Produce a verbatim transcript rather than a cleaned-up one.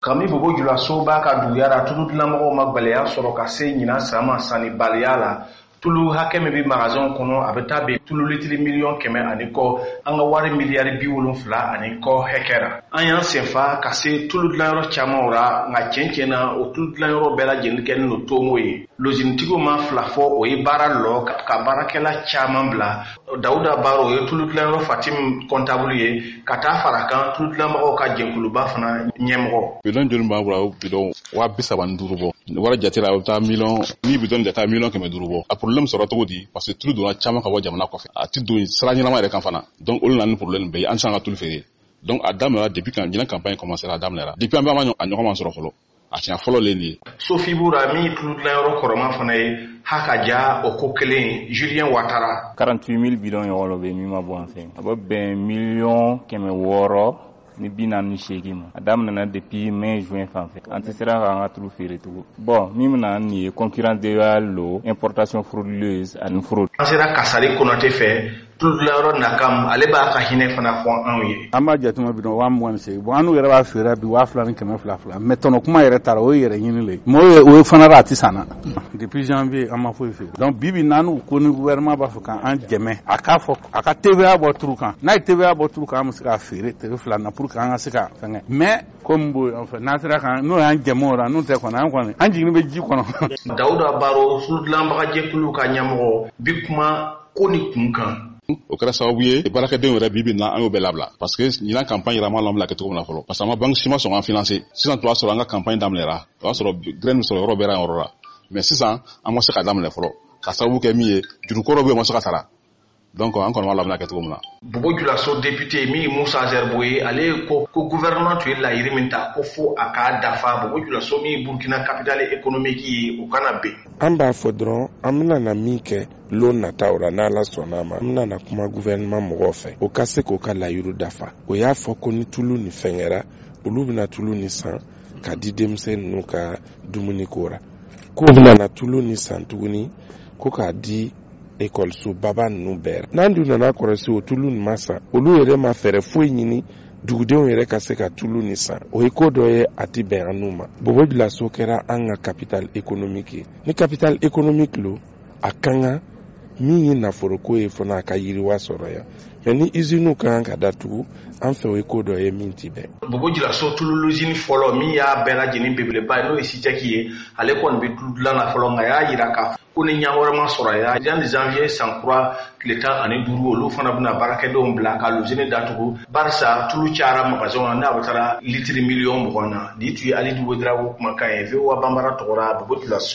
Kami Bobo Julaso b'a ka duguya la, tulu dilanmɔgɔw ma gwɛlɛya sɔrɔ ka se ɲinan san ma sannibaliya la. Tulu hakɛ min bɛ magasinw kɔnɔ, a bɛ taa bɛn tulu litiri miliyɔn kɛmɛ ani kɔ, an ka wari miliyari bi wolonfila ani kɔ hɛkɛ ra. An y'an senfa ka se tulu dilanyɔrɔ camanw ra, nka tiɲɛ tiɲɛ na, o tulu dilanyɔrɔ bɛɛ lajɛlen kɛlen don tomo ye. Lozinitigiw ma fila fɔ, o ye baara lɔ ka baarakɛla caman bila. Dawuda Baro, o ye tulu dilanyɔrɔ Fatim kɔntabulu ye, ka taa fara kan tulu dilanbagaw ka jɛkuluba fana ɲɛmɔgɔ. Bidɔn joli b'an bolo? Bidɔn waa bi saba ni duuru bɔ. Wari jate la, a bɛ taa miliyɔn ni bidɔn jate miliyɔn kɛmɛ duuru bɔ. A problème sɔrɔ cogo di? Parce que tulu donna caman ka bɔ jamana kɔfɛ, a ti don sira ɲɛnama yɛrɛ kan fana. Donc olu nana ni problème bɛɛ ye, an tɛ se an ka tulu feere. Donc a daminɛra depuis quand ɲinan campagne commencé, a daminɛra depuis an bɛ a ɲɔgɔn ma sɔrɔ fɔlɔ, a siɲɛ fɔlɔ le nin ye. Sofi Bura, min ye tulu dilanyɔrɔ kɔrɔma fana ye, ha ka ja o ko kelen. Julien Watara. quarante-huit mille bidɔn ɲɔgɔn bɛ min ma bɔ an fɛ, a bɛ bɛn miliyɔn kɛmɛ wɔɔrɔ ni bi naani ni seegin ma. A daminɛna depuis mai, juin fan fɛ, an tɛ sera k'an ka tulu feere tugun. Bon, min bɛna nin ye concurrence déloyale lo, importation frauduleuse ani fraude. An sera Kasari Konate fɛ, tulu dilanyɔrɔ Nakam, ale b'a ka hinɛ fana fɔ anw ye. An b'a jateminɛ, bidɔn waa mugan ni seegin. Bon, an n'u yɛrɛ b'a feere bi waa fila ni kɛmɛ fila fila, mais tɔnɔ kuma yɛrɛ taara, o ye yɛrɛ ɲini le ye. Mais o ye o ye fana a ti san na. Depuis janvier, an ma foyi feere. Donc bi bi n'an n'u ko ni gouvernement b'a fɛ k'an dɛmɛ, a k'a fɔ a ka T V A bɔ turu kan. N'a ye T V A bɔ turu kan, an bɛ se k'a feere tere fila na pour que an ka se ka fɛngɛ. Mais komi bo enfin n'an sera kan n'o y'an dɛmɛ o la, n'o tɛ kɔni, an kɔni an jigin bɛ ji kɔnɔ. Dawuda Baro, tulu dilanbagajɛkulu ka ɲɛmɔgɔ, bi kuma ko ni kun kan. O kɛra sababu ye baarakɛdenw yɛrɛ, bi bi na, an y'o bɛɛ labila, parce que ɲinan campagne yɛrɛ, an m'a lɔn bila kɛ cogo min na fɔlɔ, parce que an ma banque si ma sɔn k'an financer. Sisan tun b'a sɔrɔ an ka campagne daminɛra, o y'a sɔrɔ graine bɛ sɔrɔ yɔrɔ bɛɛ la yɔrɔ la, mais sisan an ma se ka daminɛ fɔlɔ, ka sababu kɛ min ye, jurukɔrɔ bɛ yen, o ma se ka sara. Donc an kɔni b'a la bɛna kɛ cogo min na. Bobo Julaso député min ye Musa Zerbo ye, ale ko ko gouvernement tun ye layiri min ta, ko fo a k'a dafa. Bobo Julaso min ye Burkina capitale économique ye, o kana ben. An b'a fɔ dɔrɔn, an bɛna na min kɛ lon nataw la, n'Ala sɔnna a ma, an bɛna na kuma gouvernement mɔgɔw fɛ, o ka se k'o ka layiru dafa. O y'a fɔ ko ni tulu ni fɛnkɛra, olu bɛna tulu ni san ka di denmisɛn ninnu ka dumuni ko ra, k'u bɛna na tulu ni san tuguni ko k'a di ekɔliso baba ninnu bɛɛ. N'an dun nana kɔlɔsi, o tulu nin ma san, olu yɛrɛ ma fɛɛrɛ foyi ɲini dugudenw yɛrɛ ka se ka tulu ni san. O ye ko dɔ ye a ti bɛn an n'u ma. Bobo Julaso kɛra an ka capitale économique ye. Ni capitale économique lo, a kan ka min ye nafoloko ye fana, a ka yiriwa sɔrɔ yan. Mais ni usines ka kan ka datugu an fɛ, o ye ko dɔ ye min ti bɛn. Bobo Julaso tulu luzini fɔlɔ min y'a bɛɛ lajɛlen belebeleba ye, n'o ye Sitɛki ye, ale kɔni bɛ tulu dilan na fɔlɔ, nka y'a yira k'a ko ni ɲɛ wɛrɛ ma sɔrɔ ya, yanni janvier san kura tile tan ani duuru, olu fana bɛna baarakɛdenw bila ka luzini datugu, barisa tulu cayara magasinw na, n'a bɛ taara litiri miliyɔn mugan na. Nin tun ye Alidu Wedarawo kumakan ye, V O A Banbara tɔgɔra, Bobo Julaso.